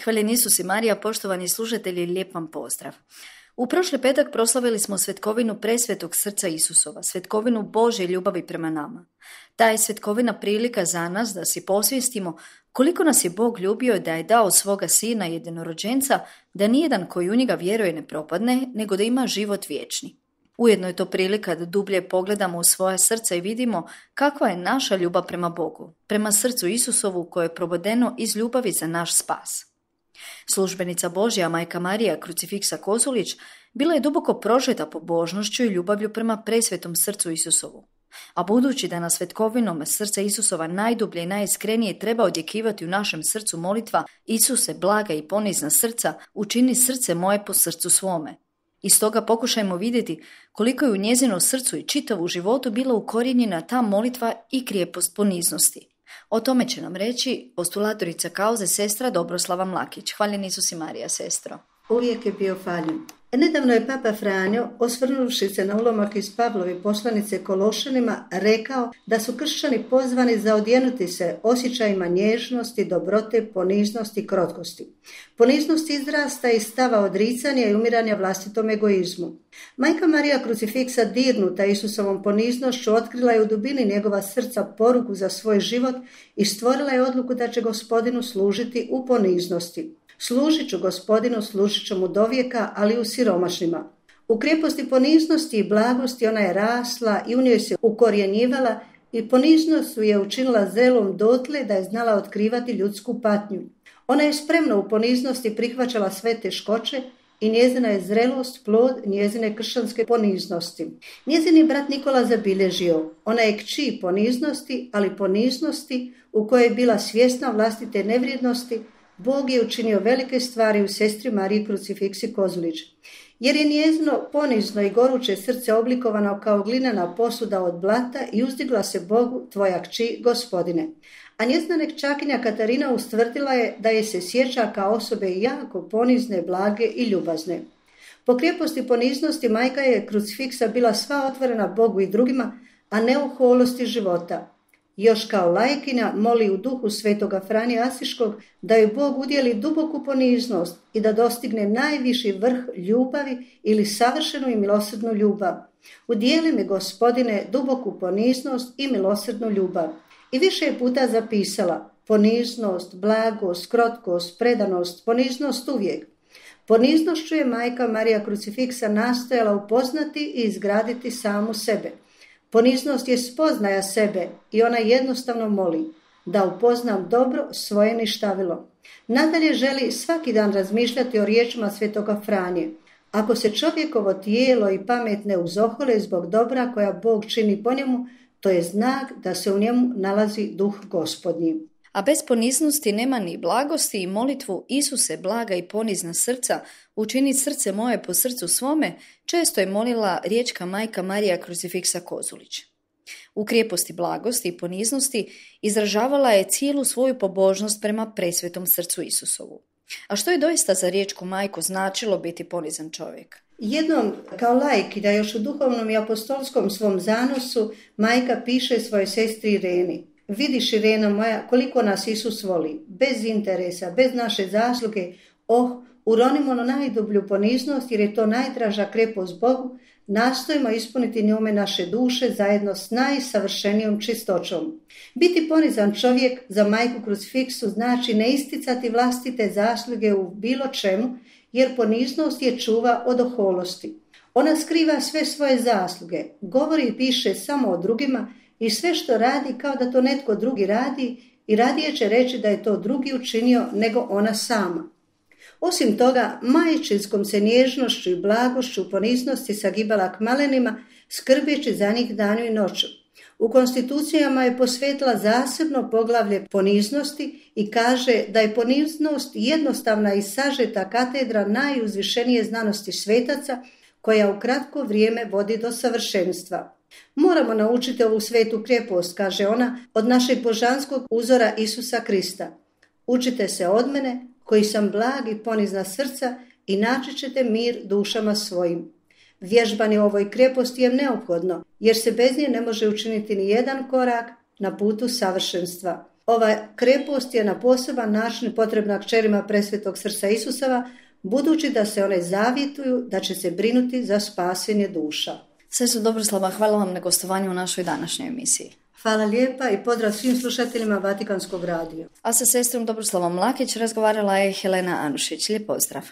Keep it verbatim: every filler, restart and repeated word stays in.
Hvaljen Isus i Marija, poštovani slušatelji, lijep vam pozdrav. U prošli petak proslavili smo svetkovinu presvetog srca Isusova, svetkovinu Božje ljubavi prema nama. Ta je svetkovina prilika za nas da si posvijestimo koliko nas je Bog ljubio da je dao svoga sina jedinorođenca, da nijedan koji u njega vjeruje ne propadne, nego da ima život vječni. Ujedno je to prilika da dublje pogledamo u svoje srca i vidimo kakva je naša ljubav prema Bogu, prema srcu Isusovu koje je probodeno iz ljubavi za naš spas. Službenica Božja, majka Marija Krucifiksa Kozulić, bila je duboko prožeta pobožnošću i ljubavlju prema presvetom srcu Isusovu. A budući da na svetkovinom srca Isusova najdublje i najiskrenije treba odjekivati u našem srcu molitva Isuse, blaga i ponizna srca, učini srce moje po srcu svome. I stoga pokušajmo vidjeti koliko je u njezino srcu i čitavu životu bila ukorijenjena ta molitva i krijepost poniznosti. O tome će nam reći postulatorica kauze sestra Dobroslava Mlakić. Hvaljen Isus i Marija, sestro. Uvijek je bio hvaljen. Nedavno je Papa Franjo, osvrnuvši se na ulomak iz Pavlove poslanice Kološanima, rekao da su kršćani pozvani za odjenuti se osjećajima nježnosti, dobrote, poniznosti i krotkosti. Poniznost izrasta iz stava odricanja i umiranja vlastitom egoizmu. Majka Marija Krucifiksa, dirnuta Isusovom poniznošću, otkrila je u dubini njegova srca poruku za svoj život i stvorila je odluku da će Gospodinu služiti u poniznosti. Služit ću Gospodinu, služit ću mu dovijeka, ali u siromašnima. U krijeposti poniznosti i blagosti ona je rasla i u njoj se ukorjenjivala i poniznost su je učinila zrelom dotle da je znala otkrivati ljudsku patnju. Ona je spremno u poniznosti prihvaćala sve teškoće i njezina je zrelost plod njezine kršćanske poniznosti. Njezini brat Nikola zabilježio, ona je kći poniznosti, ali poniznosti u kojoj je bila svjesna vlastite nevrijednosti. Bog je učinio velike stvari u sestri Mariji Krucifiksi Kozulić. Jer je njezino ponizno i goruće srce oblikovano kao glinena posuda od blata i uzdigla se Bogu, tvoja kći, Gospodine. A njezina nekčakinja Katarina ustvrdila je da je se sjeća kao osobe jako ponizne, blage i ljubazne. Po krijeposti poniznosti majka je Krucifiksa bila sva otvorena Bogu i drugima, a ne u holosti života. Još kao laikinja moli u duhu svetoga Franje Asiškog da joj Bog udjeli duboku poniznost i da dostigne najviši vrh ljubavi ili savršenu i milosrdnu ljubav. Udijeli mi, Gospodine, duboku poniznost i milosrdnu ljubav. I više je puta zapisala poniznost, blagost, krotkost, predanost, poniznost uvijek. Poniznošću je majka Marija Krucifiksa nastojala upoznati i izgraditi samu sebe. Poniznost je spoznaja sebe i ona jednostavno moli da upoznam dobro svoje ništavilo. Nadalje želi svaki dan razmišljati o riječima svetoga Franje. Ako se čovjekovo tijelo i pamet ne uzohole zbog dobra koja Bog čini po njemu, to je znak da se u njemu nalazi duh Gospodnji. A bez poniznosti nema ni blagosti i molitvu Isuse, blaga i ponizna srca, učini srce moje po srcu svome, često je molila riječka majka Marija Krucifiksa Kozulić. U krijeposti blagosti i poniznosti izražavala je cijelu svoju pobožnost prema presvetom srcu Isusovu. A što je doista za riječku majku značilo biti ponizan čovjek? Jednom, kao laik, da još u duhovnom i apostolskom svom zanosu, majka piše svojoj sestri Ireni: Vidiš, Irena moja, koliko nas Isus voli, bez interesa, bez naše zasluge. Oh, uronimo na najdublju poniznost, jer je to najdraža krepost Bogu. Nastojimo ispuniti njome naše duše zajedno s najsavršenijom čistoćom. Biti ponizan čovjek za majku Krucifiksu znači ne isticati vlastite zasluge u bilo čemu, jer poniznost je čuva od oholosti. Ona skriva sve svoje zasluge, govori i piše samo o drugima, i sve što radi kao da to netko drugi radi i radije će reći da je to drugi učinio nego ona sama. Osim toga, majčinskom se nježnošću i blagošću poniznosti sagibala k malenima, skrbeći za njih danju i noću. U konstitucijama je posvetila zasebno poglavlje poniznosti i kaže da je poniznost jednostavna i sažeta katedra najuzvišenije znanosti svetaca koja u kratko vrijeme vodi do savršenstva. Moramo naučiti ovu svetu krijepost, kaže ona, od našeg božanskog uzora Isusa Krista. Učite se od mene, koji sam blag i ponizna srca, i naći ćete mir dušama svojim. Vježbanje u ovoj krijeposti je neophodno, jer se bez nje ne može učiniti ni jedan korak na putu savršenstva. Ova krepost je na poseban način potrebna kćerima presvetog srca Isusova, budući da se one zavjetuju da će se brinuti za spasenje duša. Sestro Dobroslava, hvala vam na gostovanju u našoj današnjoj emisiji. Hvala lijepa i pozdrav svim slušateljima Vatikanskog radija. A sa sestrom Dobroslavom Mlakić razgovarala je Helena Anušić. Lijep pozdrav.